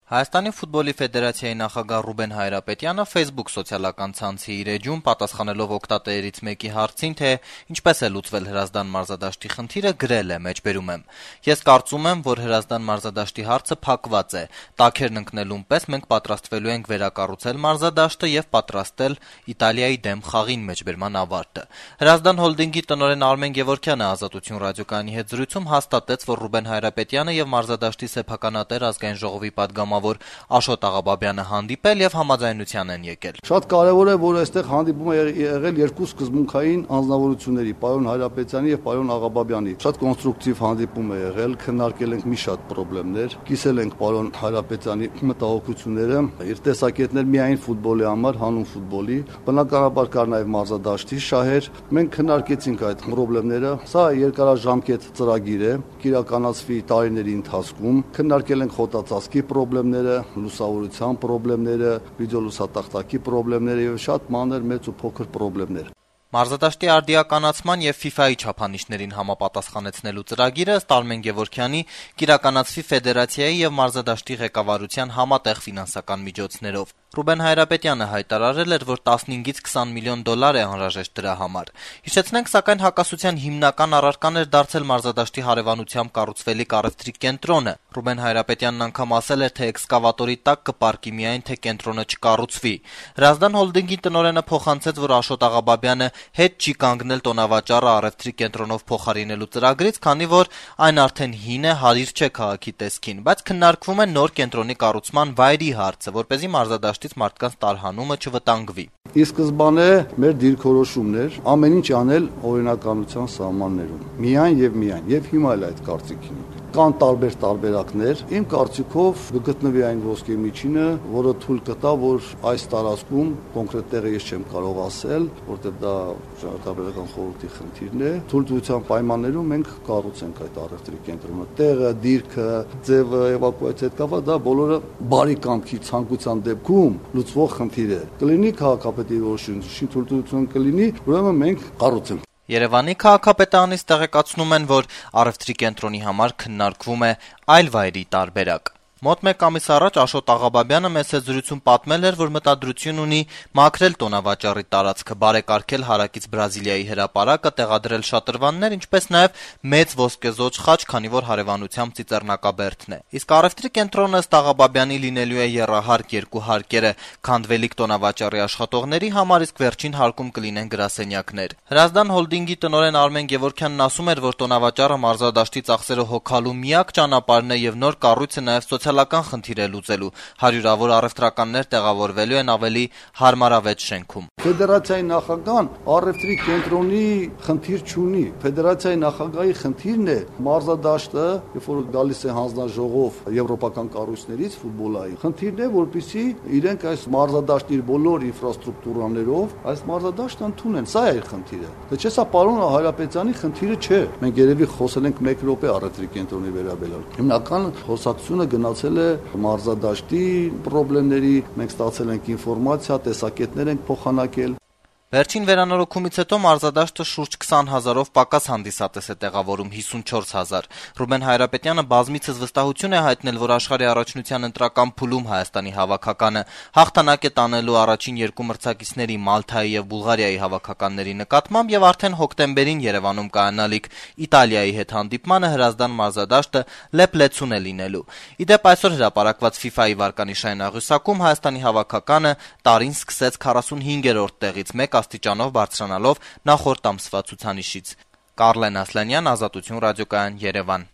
Հայաստանի ֆուտբոլի ֆեդերացիայի նախագահ Ռուբեն Հայրապետյանը Facebook սոցիալական ցանցի իր էջում պատասխանելով օգտատերերից մեկի հարցին, թե ինչպես է լուծվել Հրազդան մարզադաշտի խնդիրը, գրել է. «Ես կարծում եմ, որ Հրազդան մարզադաշտի հարցը փակված է։ Տաքերն ընկնելուն պես մենք պատրաստվելու ենք վերակառուցել մարզադաշտը եւ պատրաստել Իտալիայի դեմ խաղին» Հրազդան հոլդինգի տնօրեն Արմեն Գևորգյանը Ազատություն ռադիոկայանի հետ զրույցում հաստատեց, որ Ռուբեն Հայրապետյանը եւ մարզադաշտի սեփականատեր ազգային ժողովի պատգամավոր Աշոտ Աղաբաբյանը հանդիպել եւ համաձայնության են եկել։ Շատ կարեւոր է, որ այստեղ հանդիպում է եղել երկու սկզբունքային անձնավորությունների՝ պարոն Հայրապետյանի եւ պարոն Աղաբաբյանի։ Շատ կոնստրուկտիվ հանդիպում է եղել, քննարկել ենք մի շատ խնդիրներ, կիսել ենք պարոն Հայրապետյանի մտահոգությունները, իր տեսակետներ միայն ֆուտբոլի համար, հանուն ֆուտբոլի, բնականաբար կար նաեւ մարզադաշտի շահեր։ Մենք քննարկեցինք այդ խնդիրները։ Սա երկարաժամկետ ծրագիր է, կիրականացվի տարիների ընթացքում։ Քննարկել ենք խոտածածկի խնդիրները, լուսավորության խնդիրները, վիդեոլուսատախտակի խնդիրները եւ շատ մանր, մեծ ու փոքր խնդիրներ։ Մարզադաշտի արդիականացման եւ FIFA-ի չափանիշներին համապատասխանեցնելու ծրագիրը ըստ Արմեն Գևորգյանի կիրականացվի ֆեդերացիայի եւ մարզադաշտի ղեկավարության համատեղ ֆինանսական միջոցներով։ Ռուբեն Հայրապետյանը հայտարարել էր, որ 15-ից 20 միլիոն դոլար է անհրաժեշտ դրա համար։ Հիշեցնենք, սակայն հակասության հիմնական առարկան էր դարձել մարզադաշտի հարևանությամբ կառուցվելիք առևտրի կենտրոնը։ Ռուբեն Հայրապետյանն անգամ ասել էր, թե էքսկավատորի տակ կպառկի միայն, թե կենտրոնը չկառուցվի։ Հրազդան հոլդինգի տնօրենը փոխանցեց, որ Աշոտ Աղաբաբյանը հետ չի կանգնել տոնավաճառը առևտրի կենտրոնով փոխարինելու ծրագրից, քանի որ այն արդեն հին է, հարիր չէ քաղաքի տեսքին, բայց քննարկվում է նոր կենտրոնի կառուցման վայրի հարցը, որպեսզի մարզադաշտից մարդկանց տարհանումը չվտանգվի։ Ի սկզբանե մեր դիրքորոշումն էր ամեն ինչ անել օրինականության սահմաններում։ Միայն եւ հիմա էլ այդ կարծիքին։ Կան տարբեր տարբերակներ։ Իմ կարծիքով կգտնվի այն ոսկե միջինը, որը թույլ կտա, որ այս տարածքում կոնկրետ տեղը ես չեմ կարող ասել, որտեղ դա ճարտարապետական խորհրդի խնդիրն է։ Թույլտվության պայմաններում մենք կառուցենք այդ առևտրի կենտրոնը։ Տեղը, դիրքը, ձևը, էվակուացիա հետ կապված դա բոլորը բարի կամքի ցանկության դեպքում լուծվող խնդիր է։ Կլինի քաղաքապետի որոշություն, թույլտվություն կլինի, ուրեմն մենք կառուցենք։ Երևանի քաղաքապետարանից տեղեկացնում են, որ առևտրի կենտրոնի համար քննարկվում է այլ վայրի տարբերակ։ Մոտ մեկ ամիս առաջ Աշոտ Աղաբաբյանը մեծ զրույցում պատմել էր, որ մտադրություն ունի մաքրել տոնավաճառի տարածքը, բարեկարգել հարակից Բրազիլիայի հրապարակը, տեղադրել շատրվաններ, ինչպես նաև մեծ ոսկեզոծ խաչ, քանի որ հարևանությամբ ծիծեռնակաբերդն է։ Իսկ առևտրի կենտրոնը ըստ Աղաբաբյանի լինելու է եռահարկ երկու հարկերը, քանդվելիք տոնավաճառի աշխատողների համար, իսկ վերջին հարկում կլինեն գրասենյակներ։ Հրազդան հոլդինգի տնօրեն Արմեն Գևորգյանն ասում էր, որ տոնավաճառը մարզադաշտի ծախսերը հոգալու միակ ճանապարհն է եւ նոր կառույցը նաև սոցիալական խնդիր է լուծելու։ Հարյուրավոր առևտրականներ տեղավորվելու են ավելի հարմարավետ շենքում։ Ֆեդերացիայի նախագահան առևտրի կենտրոնի խնդիր չունի։ Ֆեդերացիայի նախագահի խնդիրն է մարզադաշտը, երբ որ գալիս է հանձնաժողով եվրոպական կառույցներից ֆուտբոլային։ Խնդիրն է, որպեսզի իրենք այս մարզադաշտի իր բոլոր ինֆրաստրուկտուրաներով այս մարզադաշտը ընդունեն։ Սա է խնդիրը։ Դե չէ, սա պարոն Հայրապետյանի խնդիրը չէ։ Մենք երևի խոսել ենք 1 րոպե առևտրի կենտրոնի վերաբերյալ։ Հիմնական խոսակցությունը գնացել է մարզադաշտի խնդիրների, մենք ստացել ենք ինֆորմացիա, տեսակետներ ենք փոխանակել։ Վերջին վերանորոգումից հետո մարզադաշտը շուրջ 20,000-ով պակաս հանդիսատես է տեղավորում 54,000։ Ռուբեն Հայրապետյանը բազմիցս վստահություն է հայտնել, որ աշխարհի առաջնության ընտրական փուլում Հայաստանի հավաքականը հաղթանակ է տանելու առաջին երկու մրցակիցների Մալթայի եւ Բուլղարիայի հավաքականների նկատմամբ եւ արդեն հոկտեմբերին Երևանում կայանալիք Իտալիայի հետ հանդիպմանը Հրազդան մարզադաշտը լեփլեցուն է լինելու։ Իդեպ այսօր հրապարակված FIFA-ի վարկանիշային աղյուսակում Հայաստանի հավաքականը տարին սկսեց 45-րդ տեղից 1 աստիճանով բարձրանալով նախորդ ամսվա ցուցանիշից։ Կարլեն Ասլանյան, Ազատություն ռադիոկայան, Երևան։